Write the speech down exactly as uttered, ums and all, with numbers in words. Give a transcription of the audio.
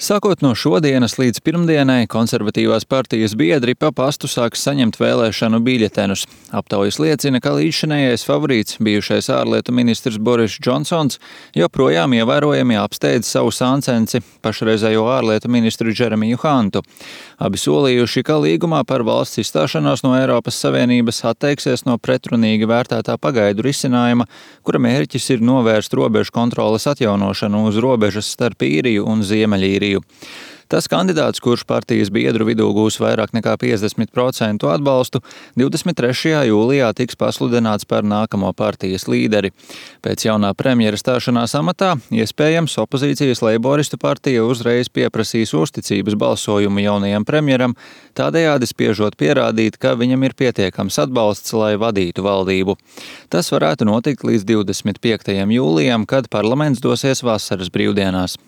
Sākot no šodienas līdz pirmdienai, konservatīvās partijas biedri pa pastu sāks saņemt vēlēšanu biļetenus. Aptaujas liecina, ka līdzšinējais favorīts, bijušais ārlietu ministrs Boris Džonsons, joprojām ievērojami apsteidz savu sāncensi, pašreizējo ārlietu ministru Džeremiju Hantu. Abi solījuši, ka līgumā par valsts izstāšanos no Eiropas Savienības atteiksies no pretrunīgi vērtētā pagaidu risinājuma, kura mērķis ir novērst robežu kontroles atjaunošanu uz robežas starp Īriju un Ziemeļīriju. Tas kandidāts, kurš partijas biedru vidū gūs vairāk nekā piecdesmit procentu atbalstu, divdesmit trešajā jūlijā tiks pasludināts par nākamo partijas līderi. Pēc jaunā premjera stāšanās amatā, iespējams, opozīcijas leiboristu partija uzreiz pieprasīs uzticības balsojumu jaunajam premjeram, tādējādi spiežot pierādīt, ka viņam ir pietiekams atbalsts, lai vadītu valdību. Tas varētu notikt līdz divdesmit piektajam jūlijam, kad parlaments dosies vasaras brīvdienās.